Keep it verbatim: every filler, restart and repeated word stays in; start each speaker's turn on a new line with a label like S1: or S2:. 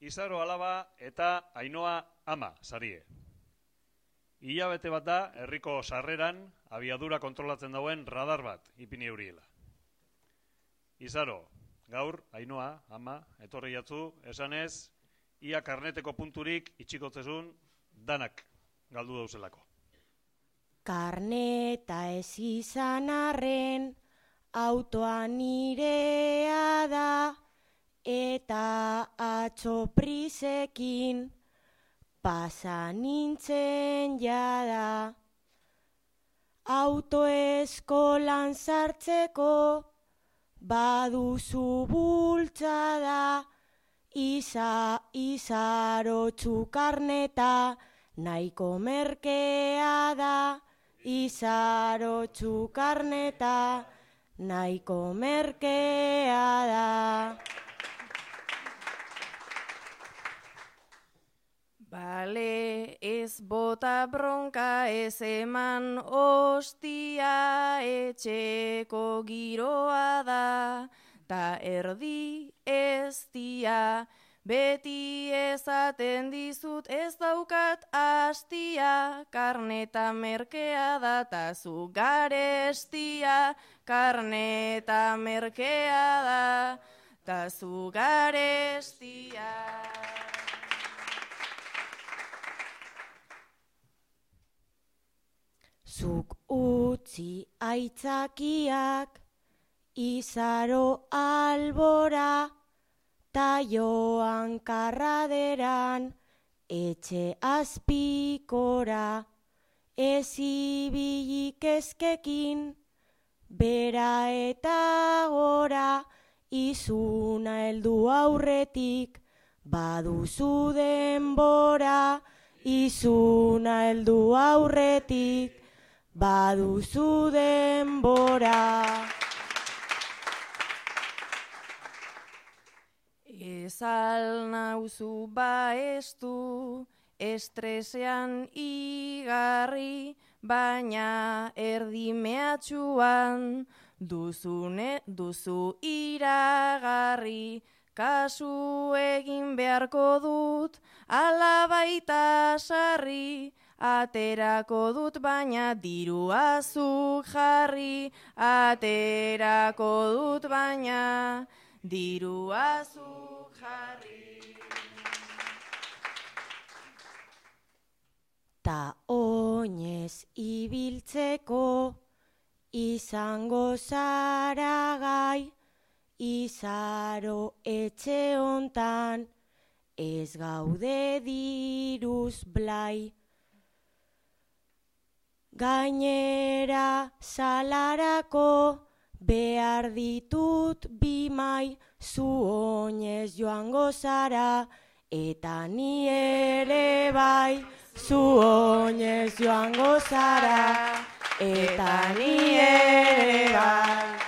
S1: Izaro alaba eta Ainoa ama sarie. Hilabete bat da herriko sarreran abiadura kontrolatzen dauen radar bat ipini euriela. Izaro, gaur Ainoa ama etorri jatzu esanez, ia karneteko punturik itxikotzezun danak galdu dauzelako.
S2: Karneta ez izan arren, autoa nirea da, eta atzo prisekin pasa nintzen jada. Autoeskolan sartzeko baduzu bultzada, Iza, izarotzu karneta nahiko merkea da. Izarotzu karneta nahiko merkea da.
S3: Bale, ez bota bronka, ez eman ostia, etxeko giroa da, ta erdi ez dia, beti ezaten dizut ez daukat astia, karneta merkea da, ta zu garestia, karneta merkea da, ta zu garestia.
S2: Zuk utzi aitzakiak, Izaro albora, ta joan karraderan, etxe azpikora, ez ibilik ezkekin, bera eta gora, izuna heldu aurretik, baduzu denbora, izuna heldu aurretik, baduzu denbora.
S3: Ezal nauzu baestu, estresean igarri, baina erdi mehatxuan duzune, duzu iragarri. Kasu egin beharko dut, ala baita sarri, aterako dut baina dirua zuk jarri, aterako dut baina dirua zuk jarri.
S2: Ta oinez ibiltzeko izango zara gai, Izaro etxe hontan ez gaude diruz blai. Gainera salarako behar ditut bi mai, zu oinez joango zara eta ni ere bai. Zu oinez joango zara eta ni ere bai.